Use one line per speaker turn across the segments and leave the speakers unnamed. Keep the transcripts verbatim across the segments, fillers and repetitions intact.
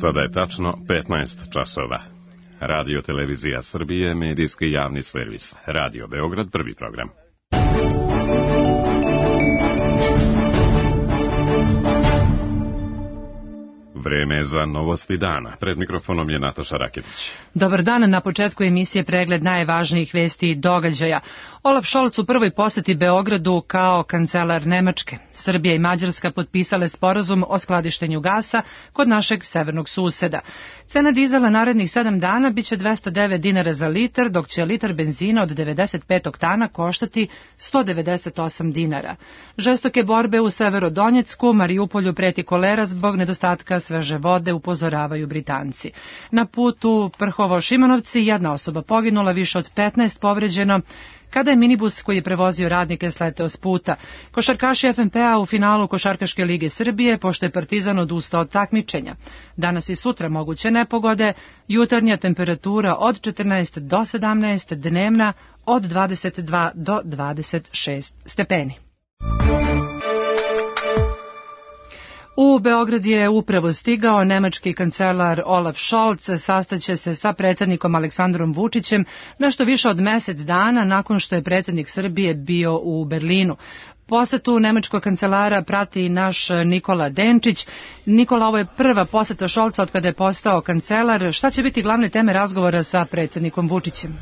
Sada je tačno petnaest časova. Radio Televizija Srbije, medijski javni servis. Radio Beograd, prvi program. Vreme je za novosti dana. Pred mikrofonom je Nataša Raketić.
Dobar dan, na početku emisije pregled najvažnijih vesti i događaja. Olaf Scholz u prvoj poseti Beogradu kao kancelar Nemačke. Srbija i Mađarska potpisale sporazum o skladištenju gasa kod našeg severnog suseda. Cena dizela narednih sedam dana biće dvesta devet dinara za litar, dok će litar benzina od devedeset pet oktana koštati sto devedeset osam dinara. Žestoke borbe u Severodonjecku, Marijupolju preti kolera zbog nedostatka sveže vode, upozoravaju Britanci. Na putu Prhovo-Šimanovci jedna osoba poginula, više od petnaest povređeno, kada je minibus koji je prevozio radnike sleteo s puta. Košarkaši F N P-a u finalu Košarkaške lige Srbije, pošto je Partizan odustao od takmičenja. Danas i sutra moguće nepogode, jutarnja temperatura od četrnaest do sedamnaest, dnevna od dvadeset dva do dvadeset šest stepeni. U Beograd je upravo stigao nemački kancelar Olaf Scholz, sastaće se sa predsjednikom Aleksandrom Vučićem nešto više od mesec dana nakon što je predsjednik Srbije bio u Berlinu. Posetu nemačkog kancelara prati naš Nikola Denčić. Nikola, ovo je prva poseta Scholza od kada je postao kancelar. Šta će biti glavne teme razgovora sa predsjednikom Vučićem?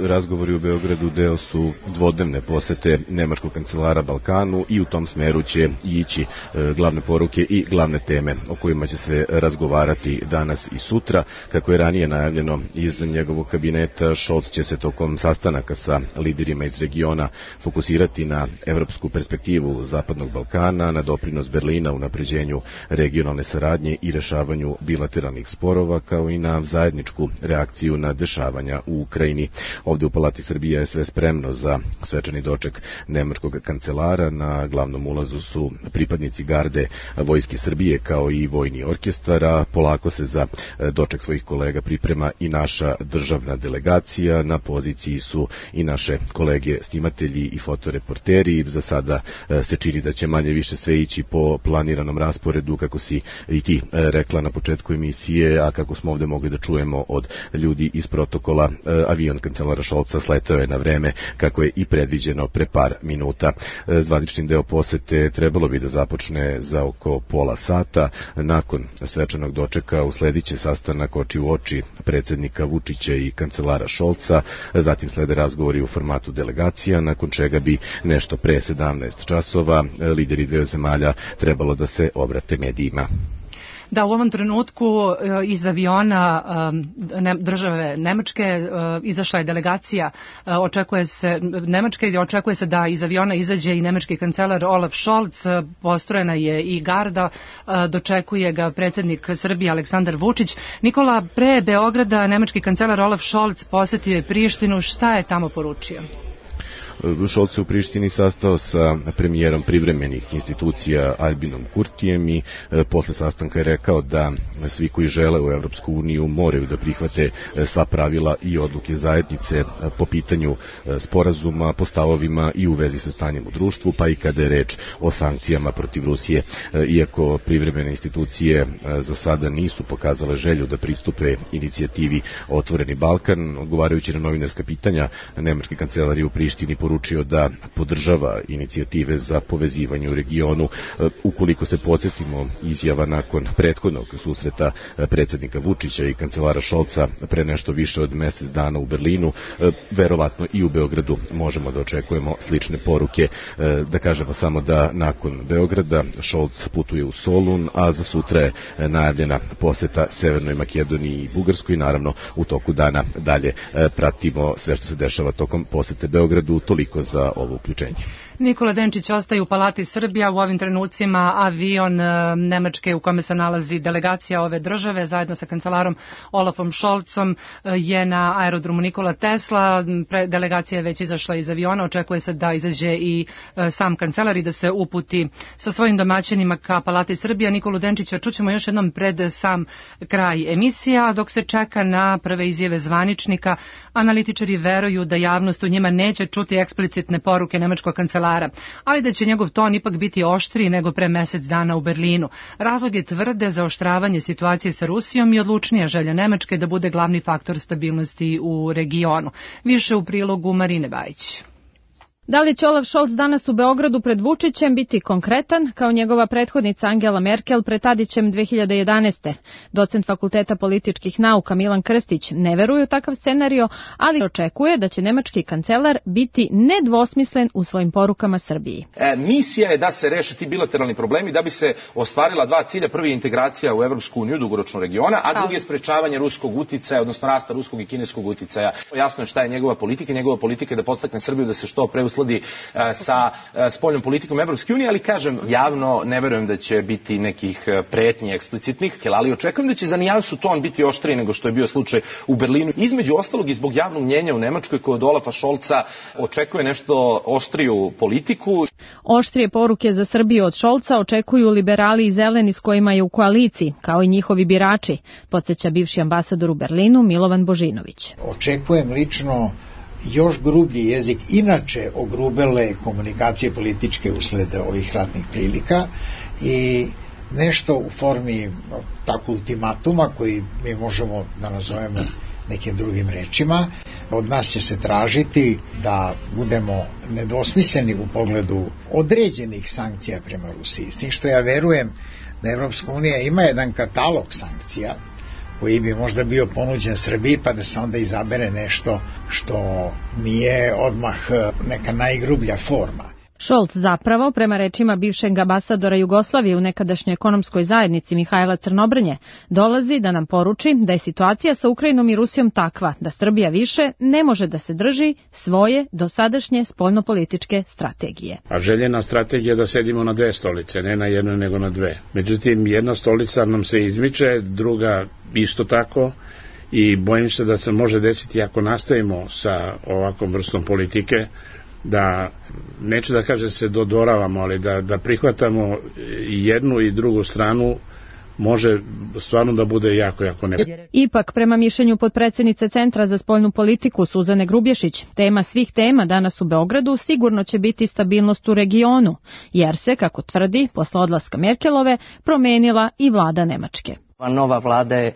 Razgovori u Beogradu deo su dvodnevne posete nemačkog kancelara Balkanu i u tom smeru će ići glavne poruke i glavne teme o kojima će se razgovarati danas i sutra. Kako je ranije najavljeno iz njegovog kabineta, Scholz će se tokom sastanaka sa liderima iz regiona fokusirati na evropsku perspektivu Zapadnog Balkana, na doprinos Berlina u unapređenju regionalne saradnje i rešavanju bilateralnih sporova, kao i na zajedničku reakciju na dešavanja u Ukrajini. Ovdje u Palati Srbije je sve spremno za svečani doček nemačkog kancelara. Na glavnom ulazu su pripadnici garde Vojske Srbije kao i vojni orkestar, a polako se za doček svojih kolega priprema i naša državna delegacija. Na poziciji su i naše kolege snimatelji i fotoreporteri. Za sada se čini da će manje više sve ići po planiranom rasporedu, kako si i ti rekla na početku emisije, a kako smo ovdje mogli da čujemo od ljudi iz protokola, avion kancelara Scholza sletao je na vreme kako je i predviđeno pre par minuta. Zvanični deo posete trebalo bi da započne za oko pola sata. Nakon svečanog dočeka uslediće sastanak oči u oči predsjednika Vučića i kancelara Scholza, zatim slede razgovori u formatu delegacija, nakon čega bi nešto pre sedamnaest časova lideri dveju zemalja trebalo da se obrate medijima.
Da, u ovom trenutku iz aviona države Nemačke izašla je delegacija, očekuje se Nemačke i očekuje se da iz aviona izađe i nemački kancelar Olaf Scholz, postrojena je i garda, dočekuje ga predsjednik Srbije Aleksandar Vučić. Nikola, pre Beograda nemački kancelar Olaf Scholz posjetio je Prištinu, šta je tamo poručio?
Scholz se u Prištini sastao sa premijerom privremenih institucija Albinom Kurtijem i e, posle sastanka je rekao da svi koji žele u Evropsku uniju moraju da prihvate e, sva pravila i odluke zajednice e, po pitanju e, sporazuma, po stavovima i u vezi sa stanjem u društvu, pa i kada je reč o sankcijama protiv Rusije. E, iako privremene institucije e, za sada nisu pokazale želju da pristupe inicijativi Otvoreni Balkan, odgovarajući na novinarska pitanja, nemački kancelar je u Prištini poručio da podržava inicijative za povezivanje u regionu. Ukoliko se podsjetimo izjava nakon prethodnog susreta predsjednika Vučića i kancelara Scholza pre nešto više od mesec dana u Berlinu, verovatno i u Beogradu možemo da očekujemo slične poruke. Da kažemo samo da nakon Beograda Scholz putuje u Solun, a za sutra je najavljena poseta Severnoj Makedoniji i Bugarskoj. Naravno, u toku dana dalje pratimo sve što se dešava tokom posete Beogradu. Toliko za ovo uključenje.
Nikola Denčić ostaje u Palati Srbija, u ovim trenucima avion Nemačke u kome se nalazi delegacija ove države zajedno sa kancelarom Olafom Scholzom je na aerodromu Nikola Tesla. Delegacija je već izašla iz aviona, očekuje se da izađe i sam kancelar i da se uputi sa svojim domaćinima ka Palati Srbija. Nikolu Denčića čućemo još jednom pred sam kraj emisija, dok se čeka na prve izjave zvaničnika. Analitičari veruju da javnost u njima neće čuti eksplicitne poruke nemačkog kancelara kancelara, ali da će njegov ton ipak biti oštriji nego pre mesec dana u Berlinu. Razlog je tvrde zaoštravanje situacije sa Rusijom i odlučnija želja Nemačke da bude glavni faktor stabilnosti u regionu. Više u prilogu Marine Bajić.
Da li će Olaf Scholz danas u Beogradu pred Vučićem biti konkretan, kao njegova prethodnica Angela Merkel pred Tadićem dve hiljade jedanaeste. Docent Fakulteta političkih nauka Milan Krstić ne veruje u takav scenario, ali očekuje da će nemački kancelar biti nedvosmislen u svojim porukama Srbiji.
E, misija je da se reše ti bilateralni problemi, da bi se ostvarila dva cilja. Prvi je integracija u Evropsku uniju, dugoročno regiona, a drugi je sprečavanje ruskog uticaja, odnosno rasta ruskog i kineskog uticaja. Jasno je šta je njegova politika. Njegova politika je da podstakne Srbiju da se što pre usladi sa spoljnom politikom Evropske unije, ali kažem, javno ne verujem da će biti nekih pretnji eksplicitnih, ali očekujem da će za nijansu ton biti oštriji nego što je bio slučaj u Berlinu. Između ostalog i zbog javnog mnjenja u Nemačkoj koje od Olafa Scholza očekuje nešto oštriju politiku.
Oštrije poruke za Srbiju od Scholza očekuju liberali i zeleni s kojima je u koaliciji, kao i njihovi birači, podsjeća bivši ambasador u Berlinu Milovan Božinović.
Očekujem lično još grublji jezik, inače ogrubele komunikacije političke usled ovih ratnih prilika i nešto u formi tako ultimatuma koji mi možemo da nazovemo nekim drugim rečima. Od nas će se tražiti da budemo nedvosmisleni u pogledu određenih sankcija prema Rusiji. S tim što ja verujem da Evropska unija ima jedan katalog sankcija koji bi možda bio ponuđen Srbiji, pa da se onda izabere nešto što nije odmah neka najgrublja forma.
Scholz zapravo, prema rečima bivšeg ambasadora Jugoslavije u nekadašnjoj ekonomskoj zajednici Mihajla Crnobrnje, dolazi da nam poruči da je situacija sa Ukrajinom i Rusijom takva da Srbija više ne može da se drži svoje dosadašnje spoljnopolitičke strategije.
A željena strategija je da sedimo na dve stolice, ne na jednoj nego na dve. Međutim, jedna stolica nam se izmiče, druga isto tako, i bojim se da se može desiti ako nastavimo sa ovakvom vrstom politike, da, neću da kažem se dodoravamo, ali da, da prihvatamo jednu i drugu stranu, može stvarno da bude jako, jako ne.
Ipak, prema mišljenju potpredsednice Centra za spoljnu politiku Suzane Grubješić, tema svih tema danas u Beogradu sigurno će biti stabilnost u regionu, jer se, kako tvrdi, posle odlaska Merkelove, promenila i vlada Nemačke.
Nova vlada je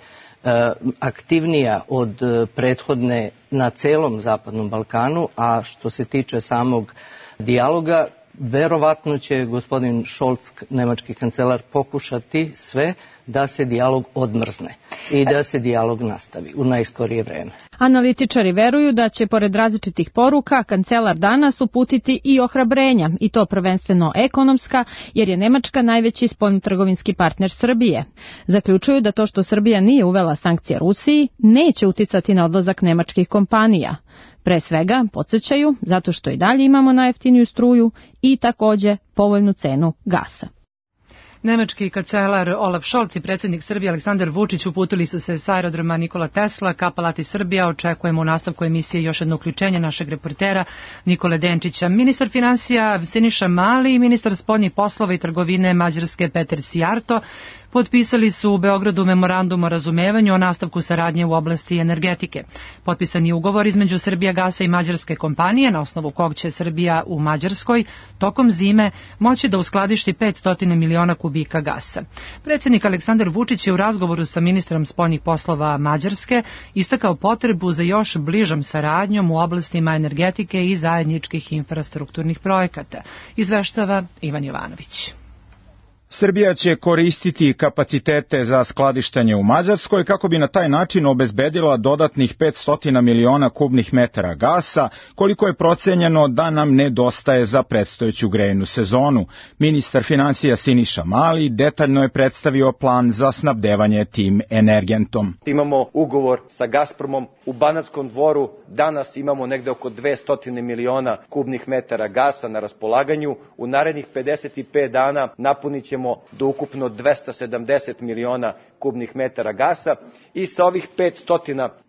aktivnija od prethodne na celom Zapadnom Balkanu, a što se tiče samog dijaloga, verovatno će gospodin Scholz, nemački kancelar, pokušati sve da se dijalog odmrzne i da se dijalog nastavi u najskorije vreme.
Analitičari veruju da će, pored različitih poruka, kancelar danas uputiti i ohrabrenja, i to prvenstveno ekonomska, jer je Nemačka najveći spoljnotrgovinski partner Srbije. Zaključuju da to što Srbija nije uvela sankcije Rusiji neće uticati na odlazak nemačkih kompanija. Pre svega, podsjećaju, zato što i dalje imamo najjeftiniju struju i takođe povoljnu cenu gasa.
Nemački kancelar Olaf Scholz i predsjednik Srbije Aleksandar Vučić uputili su se s aerodroma Nikola Tesla ka Palati Srbija. Očekujemo u nastavku emisije još jedno uključenje našeg reportera Nikole Denčića. Ministar finansija Siniša Mali i ministar spoljnih poslova i trgovine Mađarske Peter Sijarto potpisali su u Beogradu memorandum o razumevanju o nastavku saradnje u oblasti energetike. Potpisan je ugovor između Srbijagasa i mađarske kompanije, na osnovu kog će Srbija u Mađarskoj tokom zime moći da uskladišti petsto miliona kubika gasa. Predsjednik Aleksandar Vučić je u razgovoru sa ministrom spoljnih poslova Mađarske istakao potrebu za još bližom saradnjom u oblastima energetike i zajedničkih infrastrukturnih projekata. Izveštava Ivan Jovanović.
Srbija će koristiti kapacitete za skladištenje u Mađarskoj kako bi na taj način obezbedila dodatnih petsto miliona kubnih metara gasa, koliko je procenjeno da nam nedostaje za predstojeću grejnu sezonu. Ministar finansija Siniša Mali detaljno je predstavio plan za snabdevanje tim energentom.
Imamo ugovor sa Gazpromom u Banatskom Dvoru. Danas imamo negde oko dvesta miliona kubnih metara gasa na raspolaganju. U narednih pedeset pet dana napunit ćemo do ukupno dvesta sedamdeset miliona kubnih metara gasa i sa ovih petsto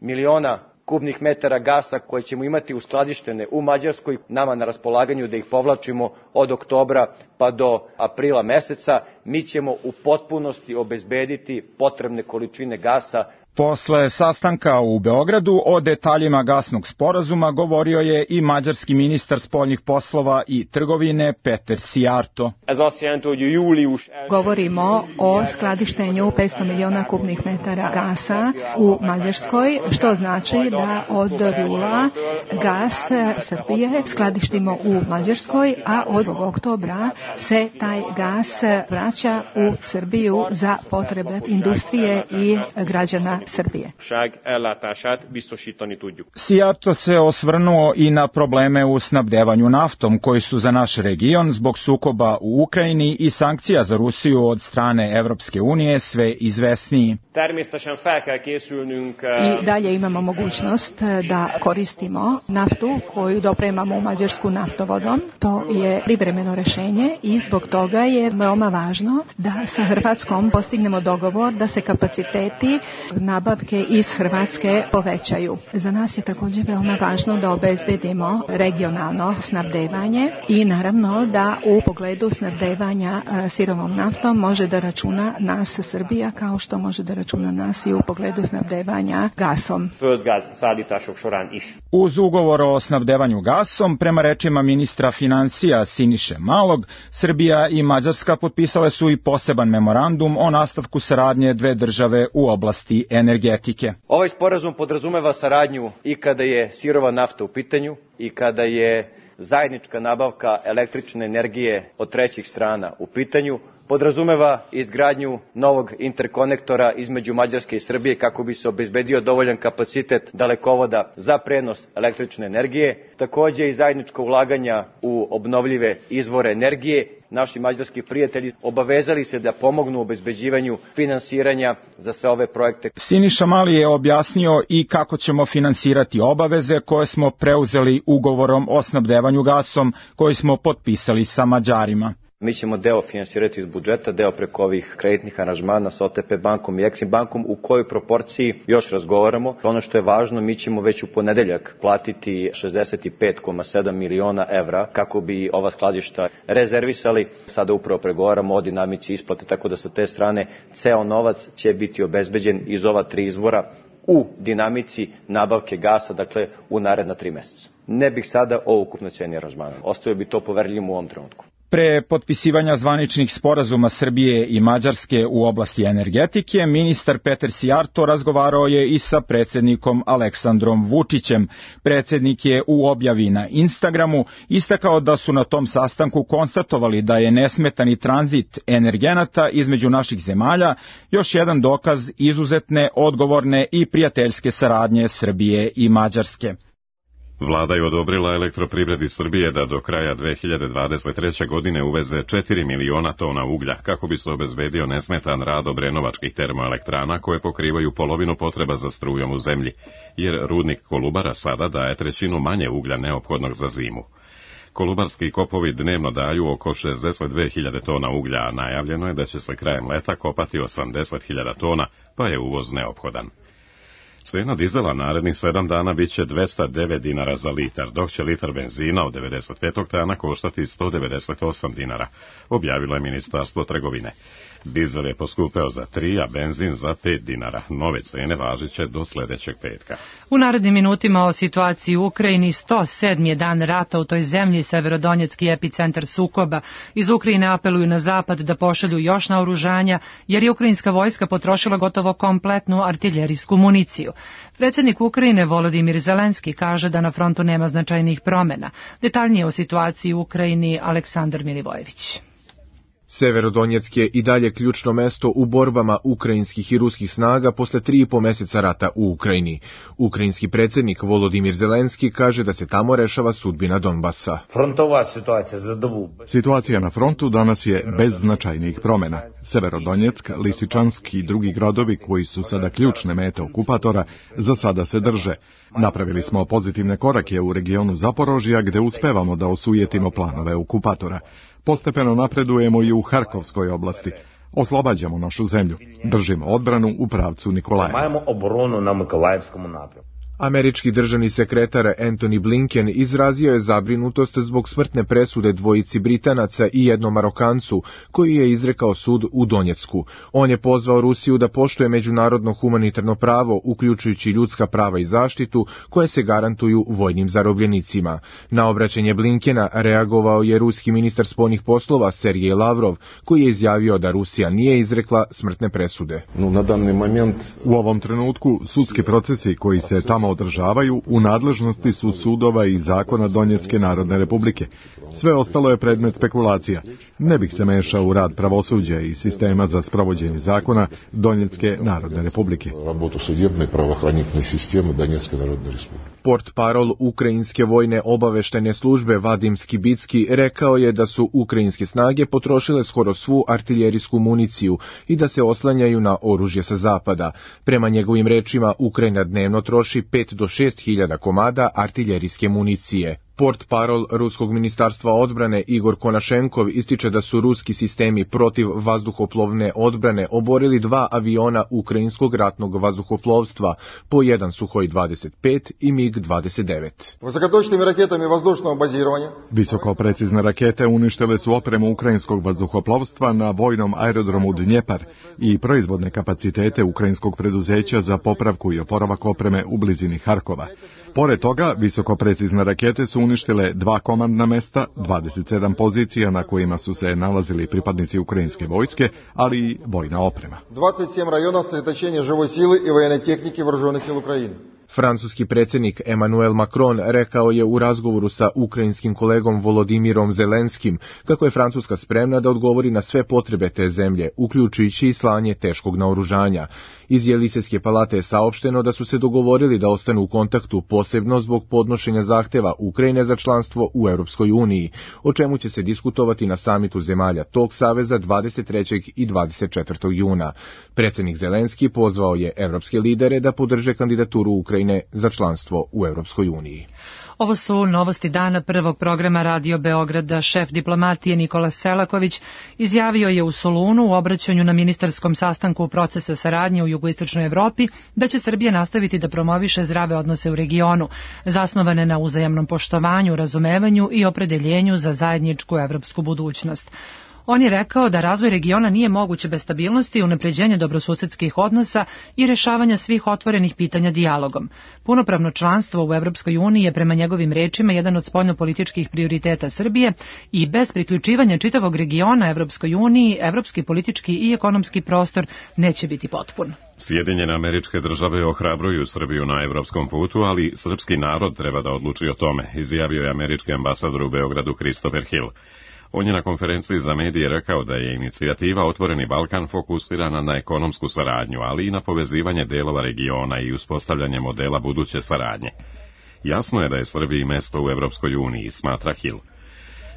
miliona kubnih metara gasa koje ćemo imati uskladištene u Mađarskoj, nama na raspolaganju da ih povlačimo od oktobra pa do aprila meseca, mi ćemo u potpunosti obezbediti potrebne količine gasa.
Posle sastanka u Beogradu o detaljima gasnog sporazuma govorio je i mađarski ministar spoljnih poslova i trgovine Peter Szijjártó.
Govorimo o skladištenju petsto miliona kubnih metara gasa u Mađarskoj, što znači da od jula gas Srbije skladištimo u Mađarskoj, a od oktobra se taj gas vraća u Srbiju za potrebe industrije i građana Srbije.
Szijjártó se osvrnuo i na probleme u snabdevanju naftom koji su za naš region zbog sukoba u Ukrajini i sankcija za Rusiju od strane Evropske unije sve izvesniji.
I dalje imamo mogućnost da koristimo naftu koju dopremamo u Mađarsku naftovodom. To je privremeno rešenje i zbog toga je veoma važno da sa Hrvatskom postignemo dogovor da se kapaciteti nabavke iz Hrvatske povećaju. Za nas je također veoma važno da obezbedimo regionalno snabdevanje i naravno da u pogledu snabdevanja sirovom naftom može da računa nas Srbija kao što može da računa nas i u pogledu snabdevanja gasom.
Uz ugovor o snabdevanju gasom, prema rečima ministra financija Siniše Malog, Srbija i Mađarska potpisale su i poseban memorandum o nastavku saradnje dve države u oblasti energetike.
Ovaj sporazum podrazumeva saradnju i kada je sirova nafta u pitanju i kada je zajednička nabavka električne energije od trećih strana u pitanju, podrazumeva izgradnju novog interkonektora između Mađarske i Srbije kako bi se obezbedio dovoljan kapacitet dalekovoda za prenos električne energije, takođe i zajedničko ulaganja u obnovljive izvore energije. Naši mađarski prijatelji obavezali se da pomognu u obezbeđivanju finansiranja za sve ove projekte.
Siniša Mali je objasnio i kako ćemo finansirati obaveze koje smo preuzeli ugovorom o snabdevanju gasom koji smo potpisali sa Mađarima.
Mi ćemo deo finansirati iz budžeta, deo preko ovih kreditnih aranžmana sa O T P bankom i Eksim bankom, u kojoj proporciji još razgovaramo. Ono što je važno, mi ćemo već u ponedeljak platiti šezdeset pet zarez sedam miliona evra kako bi ova skladišta rezervisali. Sada upravo pregovaramo o dinamici isplate, tako da sa te strane ceo novac će biti obezbeđen iz ova tri izvora u dinamici nabavke gasa, dakle u naredna tri meseca. Ne bih sada o ukupnoj ceni aranžmana. Ostavio bi to poverljivim u ovom trenutku.
Pre potpisivanja zvaničnih sporazuma Srbije i Mađarske u oblasti energetike, ministar Peter Szijjártó razgovarao je i sa predsjednikom Aleksandrom Vučićem. Predsjednik je u objavi na Instagramu istakao da su na tom sastanku konstatovali da je nesmetani tranzit energenata između naših zemalja još jedan dokaz izuzetne, odgovorne i prijateljske saradnje Srbije i Mađarske.
Vlada je odobrila Elektroprivredi Srbije da do kraja dve hiljade dvadeset treće. godine uveze četiri miliona tona uglja kako bi se obezbedio nesmetan rad obrenovačkih termoelektrana koje pokrivaju polovinu potreba za strujom u zemlji, jer rudnik Kolubara sada daje trećinu manje uglja neophodnog za zimu. Kolubarski kopovi dnevno daju oko šezdeset dve hiljade tona uglja, a najavljeno je da će se krajem leta kopati osamdeset hiljada tona, pa je uvoz neophodan. Cena dizela narednih sedam dana bit će dvesta devet dinara za litar, dok će litar benzina od devedeset pet oktana koštati sto devedeset osam dinara, objavilo je Ministarstvo trgovine. Dizel je poskupeo za tri, a benzin za pet dinara. Nove cene važiće do sledećeg petka.
U narednim minutima o situaciji u Ukrajini. sto sedmi je dan rata u toj zemlji, severodonjetski epicentar sukoba. Iz Ukrajine apeluju na zapad da pošalju još naoružanja, jer je ukrajinska vojska potrošila gotovo kompletnu artiljerijsku municiju. Predsjednik Ukrajine Volodimir Zelenski kaže da na frontu nema značajnih promjena. Detaljnije o situaciji u Ukrajini Aleksandar Milivojević.
Severodonjetsk je i dalje ključno mesto u borbama ukrajinskih i ruskih snaga posle tri i po meseca rata u Ukrajini. Ukrajinski predsjednik Volodimir Zelenski kaže da se tamo rešava sudbina Donbasa.
Frontova situacija za dobu.
Situacija na frontu danas je bez značajnih promjena. Severodonjetsk, Lisičansk i drugi gradovi koji su sada ključne mete okupatora za sada se drže. Napravili smo pozitivne korake u regionu Zaporožja gde uspevamo da osujetimo planove okupatora. Postepeno napredujemo i u Harkovskoj oblasti. Oslobađamo našu zemlju. Držimo odbranu u pravcu Nikolaeva.
Majemo obronu na Mikolajevskom napredku.
Američki državni sekretar Antony Blinken izrazio je zabrinutost zbog smrtne presude dvojici Britanaca i jednom Marokancu, koji je izrekao sud u Donjecku. On je pozvao Rusiju da poštuje međunarodno humanitarno pravo, uključujući ljudska prava i zaštitu, koje se garantuju vojnim zarobljenicima. Na obraćanje Blinkena reagovao je ruski ministar spoljnih poslova Sergej Lavrov, koji je izjavio da Rusija nije izrekla smrtne presude.
U ovom trenutku sudski procesi koji se tamo održavaju u nadležnosti su sudova i zakona Donjecke Narodne Republike. Sve ostalo je predmet spekulacija. Ne bih se mešao u rad pravosuđa i sistema za sprovođenje zakona Donjecke Narodne Republike.
Portparol ukrajinske vojne obaveštajne službe Vadim Skibicki rekao je da su ukrajinske snage potrošile skoro svu artiljerijsku municiju i da se oslanjaju na oružje sa zapada. Prema njegovim rečima, Ukrajina dnevno troši pet do šest hiljada komada artiljerijske municije. Portparol Ruskog ministarstva odbrane Igor Konašenkov ističe da su ruski sistemi protiv vazduhoplovne odbrane oborili dva aviona ukrajinskog ratnog vazduhoplovstva, po jedan Suhoj dvadeset pet i mig dvadeset devet.
Visoko precizne rakete uništile su opremu ukrajinskog vazduhoplovstva na vojnom aerodromu Dnjepar i proizvodne kapacitete ukrajinskog preduzeća za popravku i oporavak opreme u blizini Harkova. Pored toga, visoko precizne rakete su uništile dva komandna mesta, dvadeset sedam pozicija na kojima su se nalazili pripadnici ukrajinske vojske, ali i vojna oprema.
dvadeset sedam rajona sredotočenja živoj sile i vojne tehnike Вооружеnih сил Ukrajine.
Francuski predsjednik Emmanuel Macron rekao je u razgovoru sa ukrajinskim kolegom Volodimirom Zelenskim kako je Francuska spremna da odgovori na sve potrebe te zemlje, uključujući i slanje teškog naoružanja. Iz Jelisejske palate je saopšteno da su se dogovorili da ostanu u kontaktu posebno zbog podnošenja zahteva Ukrajine za članstvo u Europskoj uniji, o čemu će se diskutovati na samitu zemalja tog saveza dvadeset trećeg i dvadeset četvrtog juna. Predsjednik Zelenski pozvao je evropske lidere da podrže kandidaturu Ukrajine za članstvo u Europskoj uniji.
Ovo su novosti dana prvog programa Radio Beograda. Šef diplomatije Nikola Selaković izjavio je u Solunu u obraćanju na ministarskom sastanku procesa saradnje u jugoistočnoj Evropi da će Srbija nastaviti da promoviše zdrave odnose u regionu, zasnovane na uzajamnom poštovanju, razumevanju i opredeljenju za zajedničku evropsku budućnost. On je rekao da razvoj regiona nije moguće bez stabilnosti, unapređenja dobrosusedskih odnosa i rešavanja svih otvorenih pitanja dijalogom. Punopravno članstvo u Evropskoj uniji je prema njegovim rečima jedan od spoljnopolitičkih prioriteta Srbije i bez priključivanja čitavog regiona Evropskoj uniji, evropski politički i ekonomski prostor neće biti potpun.
Sjedinjene Američke Države ohrabruju Srbiju na evropskom putu, ali srpski narod treba da odluči o tome, izjavio je američki ambasador u Beogradu Christopher Hill. On je na konferenciji za medije rekao da je inicijativa Otvoreni Balkan fokusirana na ekonomsku saradnju, ali i na povezivanje delova regiona i uspostavljanje modela buduće saradnje. Jasno je da je Srbiji mesto u Evropskoj uniji, smatra Hill.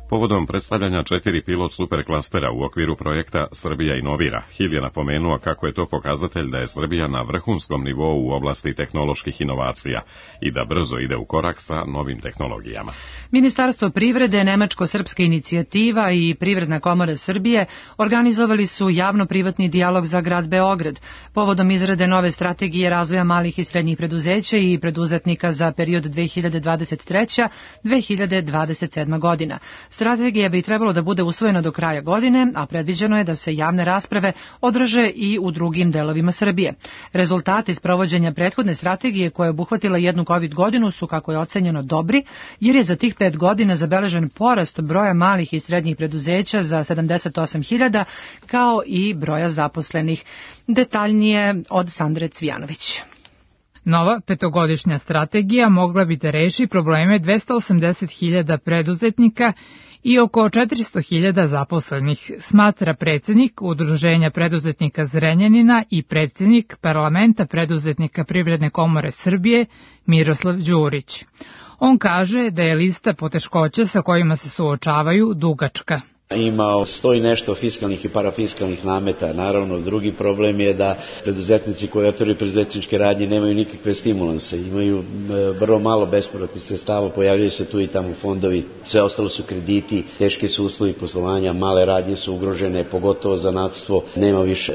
Povodom predstavljanja četiri pilot superklastera u okviru projekta Srbija inovira, Hill je napomenuo kako je to pokazatelj da je Srbija na vrhunskom nivou u oblasti tehnoloških inovacija i da brzo ide u korak sa novim tehnologijama.
Ministarstvo privrede, Nemačko-srpska inicijativa i Privredna komora Srbije organizovali su javno-privatni dijalog za grad Beograd povodom izrade nove strategije razvoja malih i srednjih preduzeća i preduzetnika za period dve hiljade dvadeset treća do dve hiljade dvadeset sedma godina. Strategija bi trebalo da bude usvojena do kraja godine, a predviđeno je da se javne rasprave održe i u drugim delovima Srbije. Rezultati sprovođenja prethodne strategije koja je obuhvatila jednu kovid godinu su, kako je ocenjeno, dobri, jer je za tih pet godina zabeležen porast broja malih i srednjih preduzeća za sedamdeset osam hiljada, kao i broja zaposlenih. Detaljnije od Sandre Cvijanović.
Nova petogodišnja strategija mogla bi da reši probleme dvesta osamdeset hiljada preduzetnika i oko četiristo hiljada zaposlenih, smatra predsjednik Udruženja preduzetnika Zrenjanina i predsjednik Parlamenta preduzetnika Privredne komore Srbije Miroslav Đurić. On kaže da je lista poteškoća sa kojima se suočavaju dugačka.
Imao sto i nešto fiskalnih i parafiskalnih nameta. Naravno, drugi problem je da preduzetnici koji otvaraju preduzetničke radnje nemaju nikakve stimulanse, imaju vrlo malo bespovratnih sredstava, pojavljaju se tu i tamo fondovi, sve ostalo su krediti, teški su uslovi poslovanja, male radnje su ugrožene, pogotovo zanatstvo, nema više,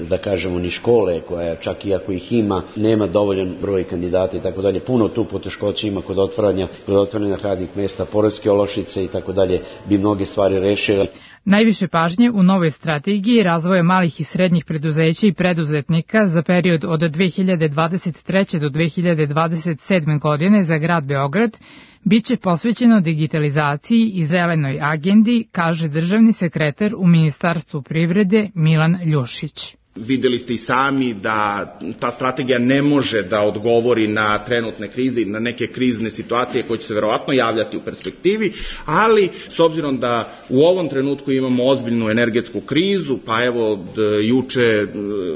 da kažemo, ni škole koja čak i ako ih ima, nema dovoljan broj kandidata i tako dalje. Puno tu poteškoća ima kod otvaranja, kod otvaranja radnih mesta, poreske olakšice i tako dalje, bi mnoge stvari rešile.
Najviše pažnje u novoj strategiji razvoja malih i srednjih preduzeća i preduzetnika za period od dve hiljade dvadeset treće do dve hiljade dvadeset sedme godine za grad Beograd biće posvećeno digitalizaciji i zelenoj agendi, kaže državni sekretar u Ministarstvu privrede Milan Ljušić.
Videli ste i sami da ta strategija ne može da odgovori na trenutne krize i na neke krizne situacije koje će se verovatno javljati u perspektivi, ali s obzirom da u ovom trenutku imamo ozbiljnu energetsku krizu, pa evo juče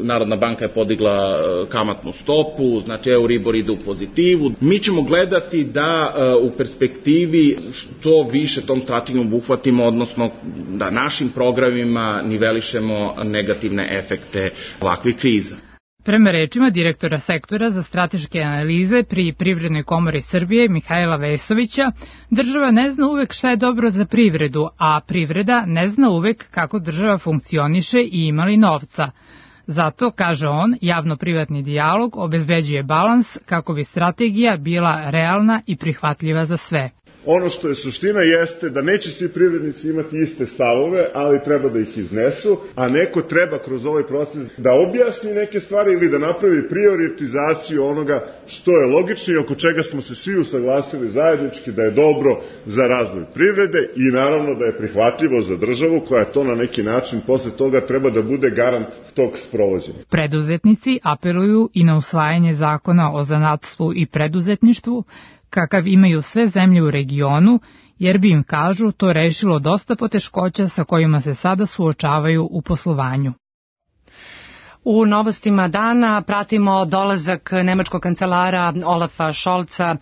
Narodna banka je podigla kamatnu stopu, znači Euribor ide u pozitivu, mi ćemo gledati da u perspektivi što više tom strategijom obuhvatimo, odnosno da našim programima nivelišemo negativne efekte ovakvih kriza.
Prema rečima direktora sektora za strateške analize pri Privrednoj komori Srbije Mihajla Vesovića, država ne zna uvek šta je dobro za privredu, a privreda ne zna uvek kako država funkcioniše i ima li novca. Zato, kaže on, javno-privatni dijalog obezbeđuje balans kako bi strategija bila realna i prihvatljiva za sve.
Ono što je suština jeste da neće svi privrednici imati iste stavove, ali treba da ih iznesu, a neko treba kroz ovaj proces da objasni neke stvari ili da napravi prioritizaciju onoga što je logično i oko čega smo se svi usaglasili zajednički da je dobro za razvoj privrede i naravno da je prihvatljivo za državu koja to na neki način posle toga treba da bude garant tog sprovođenja.
Preduzetnici apeluju i na usvajanje zakona o zanatstvu i preduzetništvu, kakav imaju sve zemlje u regionu, jer bi im, kažu, to rešilo dosta poteškoća sa kojima se sada suočavaju u poslovanju.
U novostima dana pratimo dolazak nemačkog kancelara Olafa Šolca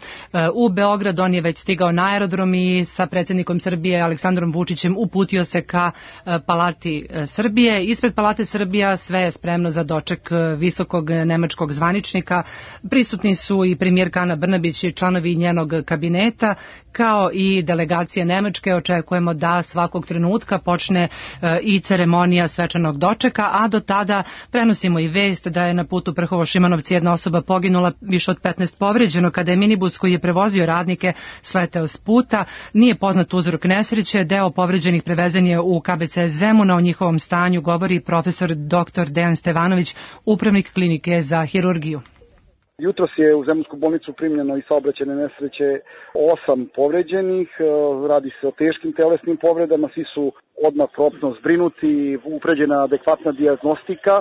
u Beograd. On je već stigao na aerodrom i sa predsjednikom Srbije Aleksandrom Vučićem uputio se ka Palati Srbije. Ispred Palate Srbija sve je spremno za doček visokog nemačkog zvaničnika. Prisutni su i premijerka Ana Brnabić i članovi njenog kabineta, kao i delegacije Nemačke. Očekujemo da svakog trenutka počne i ceremonija svečanog dočeka, a do tada prenosimo i vest da je na putu Prhovo-Šimanovci jedna osoba poginula, više od petnaest povređeno kada je minibus koji je prevozio radnike sleteo s puta. Nije poznat uzrok nesreće, deo povređenih prevezen je u K B C Zemuna. O njihovom stanju govori profesor doktor Dejan Stevanović, upravnik klinike za hirurgiju.
Jutros je u Zemunsku bolnicu primljeno i saobraćajne nesreće osam povređenih, radi se o teškim telesnim povredama, svi su odmah promptno zbrinuti, upređena adekvatna dijagnostika.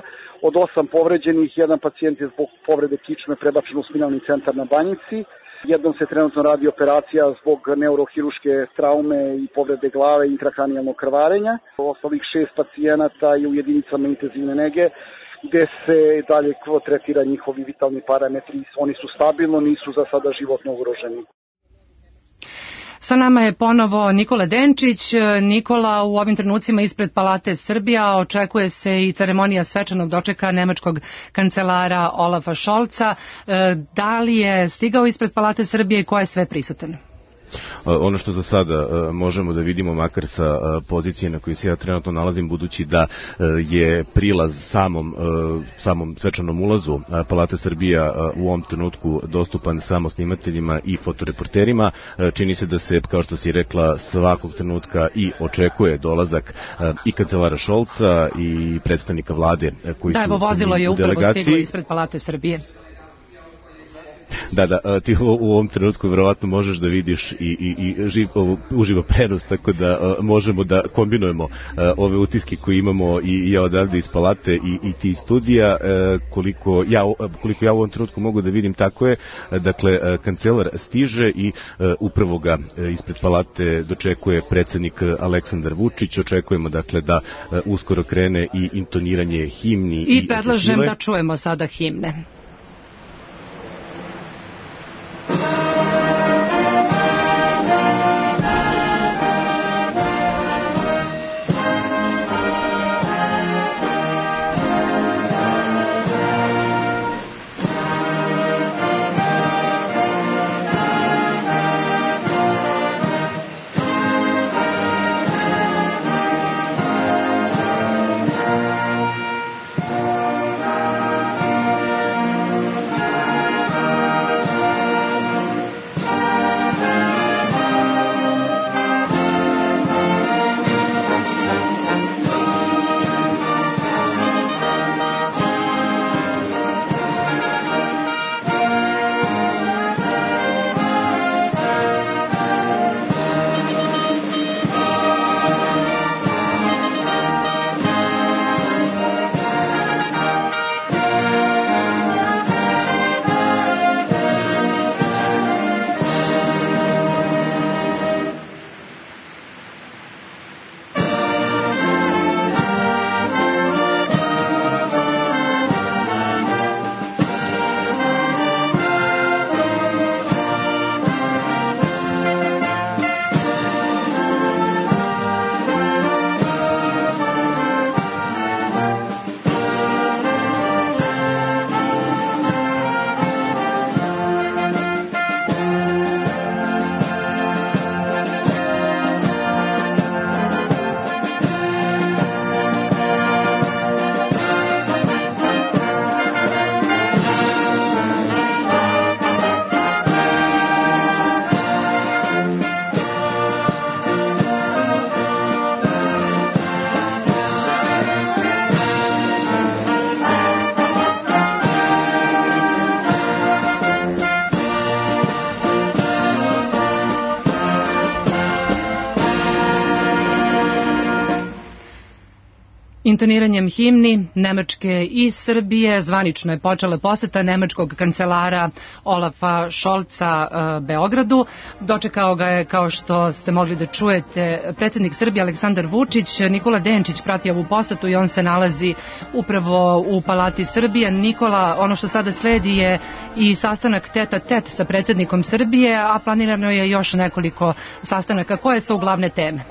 Od osam povređenih, jedan pacijent je zbog povrede kičme prebačen u spinalni centar na Banjici. Jednom se trenutno radi operacija zbog neurohiruške traume i povrede glave i intrakranijalnog krvarenja. Ostalih šest pacijenata je u jedinicama intenzivne nege, gde se dalje tretira njihovi vitalni parametri. Oni su stabilno, nisu za sada životno ugroženi.
Sa nama je ponovo Nikola Denčić. Nikola, u ovim trenucima ispred Palate Srbija očekuje se i ceremonija svečanog dočeka nemačkog kancelara Olafa Šolca. Da li je stigao ispred Palate Srbije i ko je sve prisutan?
Ono što za sada možemo da vidimo, makar sa pozicije na kojoj se ja trenutno nalazim, budući da je prilaz samom, samom svečanom ulazu Palate Srbija u ovom trenutku dostupan samo snimateljima i fotoreporterima, čini se da se, kao što si rekla, svakog trenutka i očekuje dolazak i kancelara Šolca i predstavnika vlade koji
da,
su
evo, vozilo je
u
upravo
delegaciji.
Stiglo ispred Palate Srbije.
Da, da, ti u ovom trenutku verovatno možeš da vidiš i, i, i živ, uživo prenos, tako da možemo da kombinujemo ove utiske koje imamo i ja odavde iz Palate i, i ti studija. Koliko ja, koliko ja u ovom trenutku mogu da vidim, tako je. Dakle, kancelar stiže i upravo ga ispred Palate dočekuje predsjednik Aleksandar Vučić. Očekujemo, dakle, da uskoro krene i intoniranje himni.
I, i predlažem da čujemo sada himne. Intoniranjem himni Nemačke i Srbije zvanično je počela poseta nemačkog kancelara Olafa Šolca Beogradu. Dočekao ga je, kao što ste mogli da čujete, predsjednik Srbije Aleksandar Vučić. Nikola Denčić prati ovu posetu i on se nalazi upravo u Palati Srbije. Nikola, ono što sada sledi je i sastanak teta tet sa predsjednikom Srbije, a planirano je još nekoliko sastanaka. Koje su glavne teme?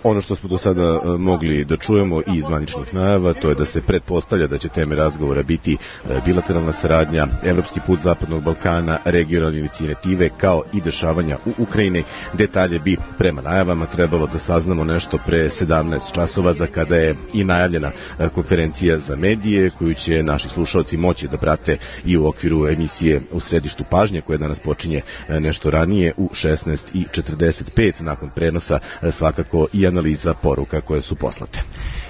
Ono što smo do sada mogli da čujemo i iz zvaničnih najava, to je da se pretpostavlja da će teme razgovora biti bilateralna saradnja, evropski put Zapadnog Balkana, regionalne inicijative, kao i dešavanja u Ukrajini. Detalje bi prema najavama trebalo da saznamo nešto pre sedamnaest časova, za kada je i najavljena konferencija za medije, koju će naši slušalci moći da prate i u okviru emisije U središtu pažnje, koja danas počinje nešto ranije u šesnaest i četrdeset pet, nakon prenosa svakako i analiza poruka koje su poslate.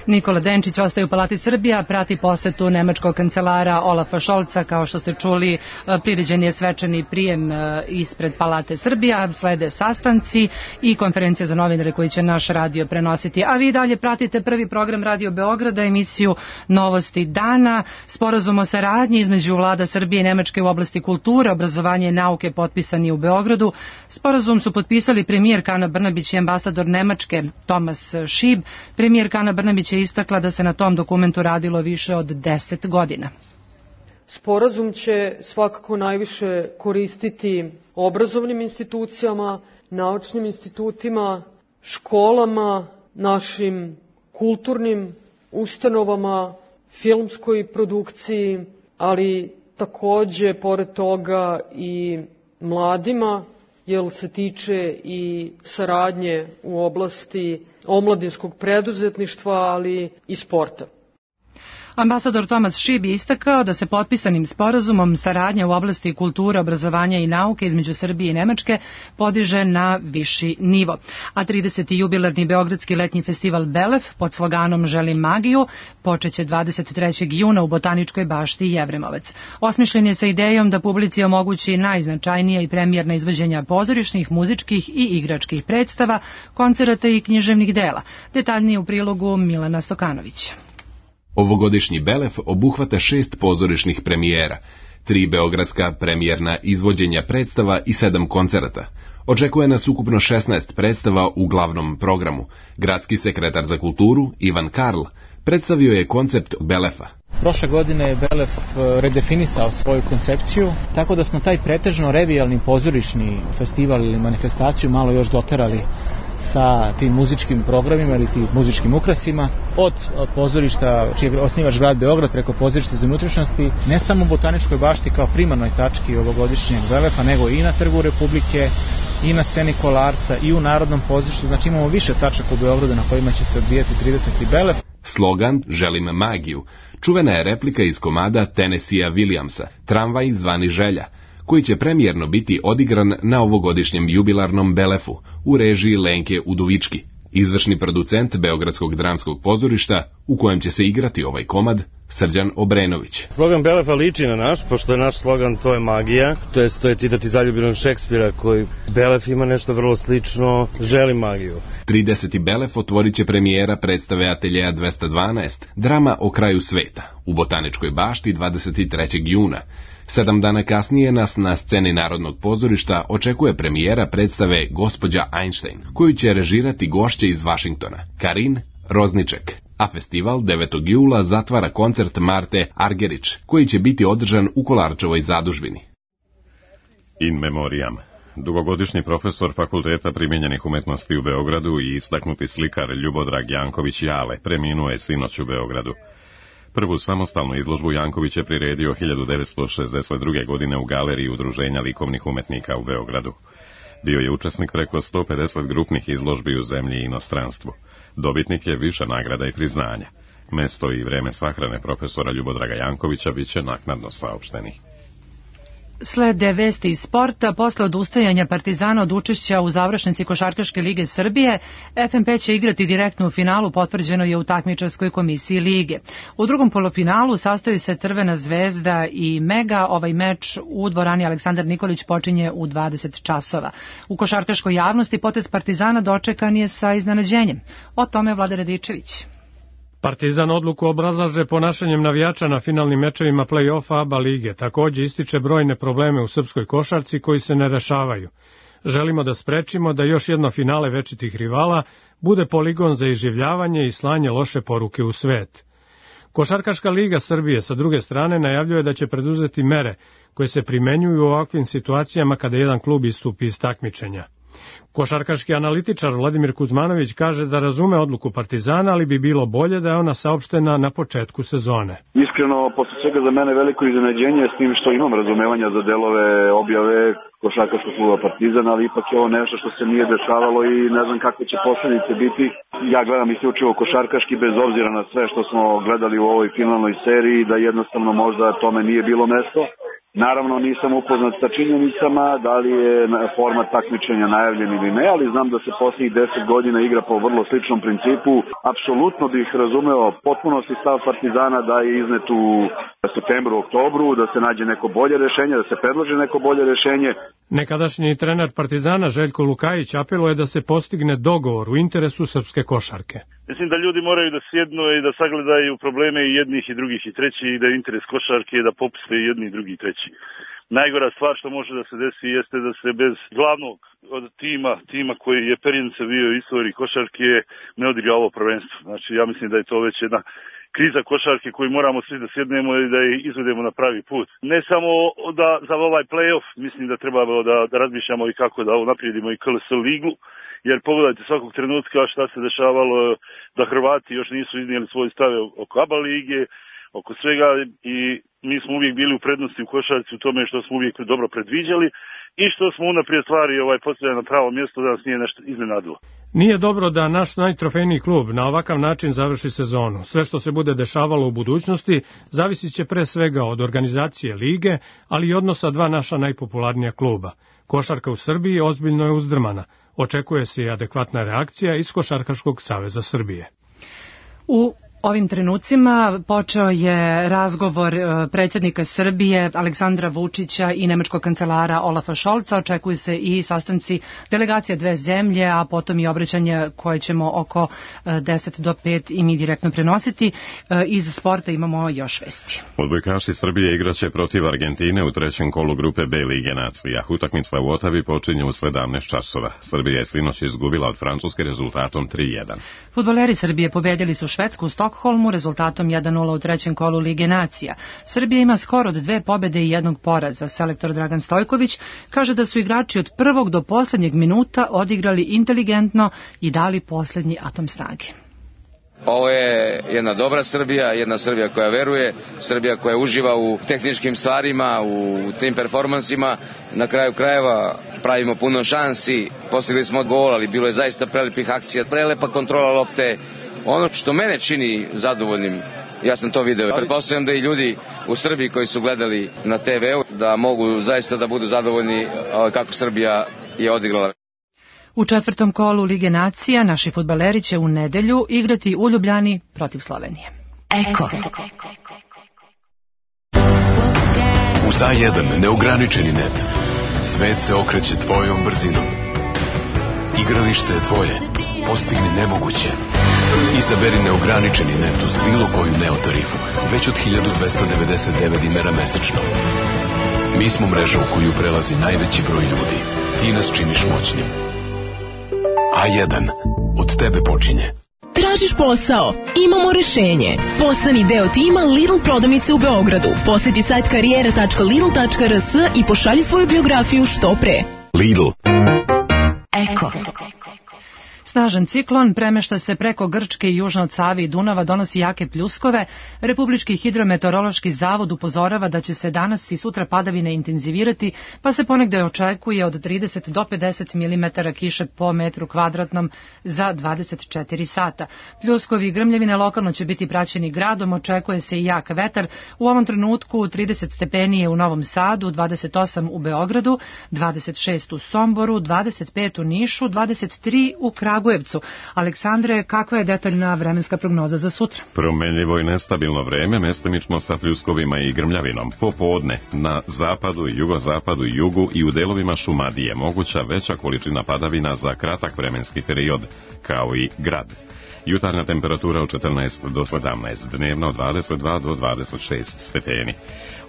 Nikola Denčić ostaje u Palati Srbija, prati posetu nemačkog kancelara Olafa Šolca. Kao što ste čuli, priređen je svečani prijem ispred Palate Srbija, slede sastanci i konferencija za novinare koji će naš radio prenositi. A vi dalje pratite prvi program Radio Beograda, emisiju Novosti dana. Sporazum o saradnji između vlada Srbije i Nemačke u oblasti kulture, obrazovanja i nauke potpisani u Beogradu. Sporazum su potpisali premijerka Ana Brnabić i ambasador Nemačke Thomas Schieb. Premijerka Ana Brnabić je istakla da se na tom dokumentu radilo više od deset godina.
Sporazum će svakako najviše koristiti obrazovnim institucijama, naučnim institutima, školama, našim kulturnim ustanovama, filmskoj produkciji, ali takođe, pored toga, i mladima, jer se tiče i saradnje u oblasti omladinskog preduzetništva, ali i sporta.
Ambasador Thomas Schieb je istakao da se potpisanim sporazumom saradnja u oblasti kulture, obrazovanja i nauke između Srbije i Nemačke podiže na viši nivo. A trideseti jubilarni Beogradski letnji festival Belef pod sloganom Želim magiju počeće dvadeset trećeg juna u Botaničkoj bašti Jevremovac. Osmišljen je sa idejom da publici omogući najznačajnija i premijerna izvođenja pozorišnih, muzičkih i igračkih predstava, koncerata i književnih dela. Detaljnije u prilogu Milana Stokanovića.
Ovogodišnji Belef obuhvata šest pozorišnih premijera, tri beogradska premijerna izvođenja predstava i sedam koncerata. Očekuje nas ukupno šesnaest predstava u glavnom programu. Gradski sekretar za kulturu, Ivan Karl, predstavio je koncept Belefa.
Prošle godine je Belef redefinisao svoju koncepciju, tako da smo taj pretežno revijalni pozorišni festival ili manifestaciju malo još doterali sa tim muzičkim programima ili tim muzičkim ukrasima, od pozorišta čiji je osnivač grad Beograd preko pozorišta za unutrašnjosti, ne samo u Botaničkoj bašti kao primarnoj tački ovogodišnjeg Belefa, nego i na Trgu Republike, i na sceni Kolarca, i u Narodnom pozorištu. Znači imamo više tačaka u Beogradu na kojima će se odvijati trideseti Belef.
Slogan Želim magiju čuvena je replika iz komada Tennessee Williamsa, Tramvaj zvani Želja, koji će premijerno biti odigran na ovogodišnjem jubilarnom Belefu u režiji Lenke Udovički, izvršni producent Beogradskog dramskog pozorišta u kojem će se igrati ovaj komad, Srđan Obrenović.
Slogan Belefa liči na naš, pošto je naš slogan To je magija, to je, to je citat iz zaljubljenog Šekspira, koji Belef ima nešto vrlo slično, Želim magiju.
trideseti Belef otvorit će premijera predstave Ateljeja dvesta dvanaest, drama o kraju sveta, u Botaničkoj bašti dvadeset trećeg juna. Sedam dana kasnije nas na sceni Narodnog pozorišta očekuje premijera predstave Gospođa Einstein, koju će režirati gošće iz Vašingtona, Karin Rozniček. A festival devetog jula zatvara koncert Marte Argerić, koji će biti održan u Kolarčevoj zadužbini.
In memoriam. Dugogodišnji profesor Fakulteta primijenjenih umetnosti u Beogradu i istaknuti slikar Ljubodrag Janković Jale preminuo je sinoć u Beogradu. Prvu samostalnu izložbu Janković je priredio hiljadu devetsto šezdeset druge. godine u galeriji Udruženja likovnih umetnika u Beogradu. Bio je učesnik preko sto pedeset grupnih izložbi u zemlji i inostranstvu. Dobitnik je više nagrada i priznanja. Mesto i vreme sahrane profesora Ljubodraga Jankovića bit će naknadno saopšteni.
Slede vesti iz sporta. Posle odustajanja Partizana od učešća u završnici Košarkaške lige Srbije, F M P će igrati direktno u finalu, potvrđeno je u takmičarskoj komisiji lige. U drugom polufinalu sastaju se Crvena zvezda i Mega. Ovaj meč u dvorani Aleksandar Nikolić počinje u dvadeset časova. U košarkaškoj javnosti potez Partizana dočekan je sa iznenađenjem. O tome Vlada Radičević.
Partizan odluku obrazlaže ponašanjem navijača na finalnim mečevima play-offa A B A lige. Takođe ističe brojne probleme u srpskoj košarci koji se ne rešavaju. Želimo da sprečimo da još jedno finale večitih rivala bude poligon za iživljavanje i slanje loše poruke u svet. Košarkaška liga Srbije sa druge strane najavljuje da će preduzeti mere koje se primenjuju u ovakvim situacijama kada jedan klub istupi iz takmičenja. Košarkaški analitičar Vladimir Kuzmanović kaže da razume odluku Partizana, ali bi bilo bolje da je ona saopštena na početku sezone.
Iskreno, posle svega za mene veliko iznenađenje s tim što imam razumevanja za delove objave košarkaškog kluba Partizan, ali ipak je ovo nešto što se nije dešavalo i ne znam kakve će posledice biti. Ja gledam isključivo košarkaški bez obzira na sve što smo gledali u ovoj finalnoj seriji, da jednostavno možda tome nije bilo mesto. Naravno nisam upoznat sa činjenicama, da li je format takmičenja najavljen ili ne, ali znam da se posljednjih deset godina igra po vrlo sličnom principu. Apsolutno bih razumeo potpunosti stav Partizana da je iznet u septembru, oktobru, da se nađe neko bolje rešenje, da se predloži neko bolje rešenje.
Nekadašnji trener Partizana Željko Lukajić apeluje da se postigne dogovor u interesu srpske košarke.
Mislim da ljudi moraju da sjednu i da sagledaju probleme i jednih i drugih i trećih i da je interes košarke da popuste i jedni i drugi i treći. Najgora stvar što može da se desi jeste da se bez glavnog od tima, tima koji je perjence bio u istoriji košarke, ne odigra ovo prvenstvo. Znači ja mislim da je to već jedna kriza košarke koju moramo svi da sjednemo i da je izvedemo na pravi put. Ne samo da za ovaj play-off, mislim da treba da, da razmišljamo i kako da unaprijedimo i K L S ligu, jer pogledajte svakog trenutka šta se dešavalo, da Hrvati još nisu iznijeli svoj stav oko A B A lige, oko svega i mi smo uvijek bili u prednosti u košarci u tome što smo uvijek dobro predviđali i što smo unaprijed stvari ovaj, postavljali na pravo mjesto da nas nije nešto iznenadilo.
Nije dobro da naš najtrofejniji klub na ovakav način završi sezonu. Sve što se bude dešavalo u budućnosti zavisit će pre svega od organizacije lige, ali i odnosa dva naša najpopularnija kluba. Košarka u Srbiji ozbiljno je uzdrmana. Očekuje se i adekvatna reakcija iz Košarkaškog saveza Srbije.
U ovim trenucima počeo je razgovor predsjednika Srbije Aleksandra Vučića i nemačkog kancelara Olafa Šolca. Očekuju se i sastanci delegacija dve zemlje, a potom i obraćanje koje ćemo oko deset do pet i mi direktno prenositi. Iz sporta imamo još vesti.
Odbojkaši Srbije igraće protiv Argentine u trećem kolu grupe B Lige nacija. Utakmica u Otavi počinje u sedamnaest časova. Srbija je sinoć izgubila od Francuske rezultatom tri jedan.
Fudbaleri Srbije pobedili su Švedsku u Stokholmu rezultatom jedan nula u trećem kolu Lige nacija. Srbija ima skor od dve pobede i jednog poraza. Selektor Dragan Stojković kaže da su igrači od prvog do posljednjeg minuta odigrali inteligentno i dali posljednji atom snage.
Ovo je jedna dobra Srbija, jedna Srbija koja veruje, Srbija koja uživa u tehničkim stvarima, u tim performansima. Na kraju krajeva pravimo puno šansi, postigli smo gol, ali bilo je zaista prelepih akcija, prelepa kontrola lopte. Ono što mene čini zadovoljnim, ja sam to video, pretpostavljam da i ljudi u Srbiji koji su gledali na te veu, da mogu zaista da budu zadovoljni kako Srbija je odigrala.
U četvrtom kolu Lige nacija naši fudbaleri će u nedelju igrati u Ljubljani protiv Slovenije.
Eko. Uz A jedan neograničeni net. Svet se okreće tvojom brzinom. Igralište je tvoje. Postigni nemoguće. Izaberi neograničeni net uz bilo koju neotarifu, već od hiljadu dvesta devedeset devet dinara mesečno. Mi smo mreža u koju prelazi najveći broj ljudi. Ti nas činiš moćnim. A jedan. Od tebe počinje.
Tražiš posao? Imamo rešenje. Postani deo tima Lidl prodavnice u Beogradu. Posjeti sajt karijera tačka lidl tačka r s i pošalji svoju biografiju što pre.
Lidl.
Eko.
Snažan ciklon premešta se preko Grčke i južno od Save i Dunava, donosi jake pljuskove. Republički hidrometeorološki zavod upozorava da će se danas i sutra padavine intenzivirati, pa se ponegde očekuje od trideset do pedeset milimetara kiše po metru kvadratnom za dvadeset četiri sata. Pljuskovi i grmljevine lokalno će biti praćeni gradom, očekuje se i jak vetar. U ovom trenutku trideset stepeni je u Novom Sadu, dvadeset osam u Beogradu, dvadeset šest u Somboru, dvadeset pet u Nišu, dvadeset tri u Kragujevcu. Aleksandre, kakva je detaljna vremenska prognoza za sutra?
Promenljivo i nestabilno vreme, mestimično sa pljuskovima i grmljavinom. Popodne na zapadu i jugozapadu i jugu i u delovima Šumadije moguća veća količina padavina za kratak vremenski period, kao i grad. Jutarnja temperatura od četrnaest do sedamnaest, dnevna od dvadeset dva do dvadeset šest stepeni.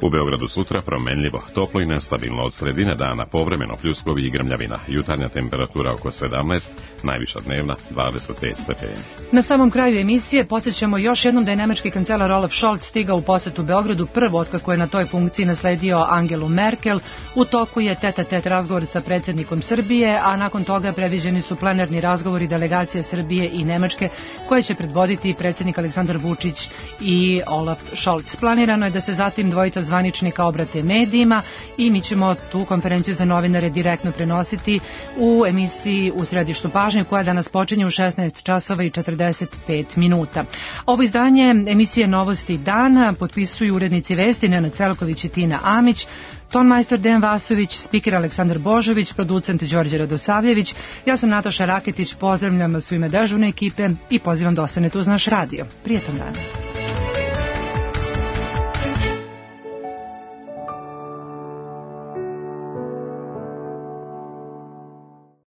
U Beogradu sutra promenljivo, toplo i nestabilno, od sredine dana povremeno pljuskovi i grmljavina. Jutarnja temperatura oko sedamnaest, najviša dnevna dvadeset pet stepeni.
Na samom kraju emisije podsjećamo još jednom da je nemački kancelar Olaf Scholz stigao u posetu Beogradu prvo otkako je na toj funkciji nasledio Angelu Merkel. U toku je tet-a-tet razgovor sa predsjednikom Srbije, a nakon toga predviđeni su plenarni razgovori delegacije Srbije i Nemačke koje će predvoditi predsjednik Aleksandar Vučić i Olaf Scholz. Planirano je da se zatim dvojica zvaničnika obrate medijima i mi ćemo tu konferenciju za novinare direktno prenositi u emisiji U središtu pažnje koja danas počinje u šesnaest časova i četrdeset pet minuta. Ovo izdanje emisije Novosti dana potpisuju urednici vesti Nenad Celković i Tina Amić, tonmajstor Dejan Vasović, spiker Aleksandar Božović, producent Đorđe Radosavljević. Ja sam Nataša Raketić, pozdravljam vas u ime dežurne ekipe i pozivam da ostanete uz naš radio. Prijetan dan.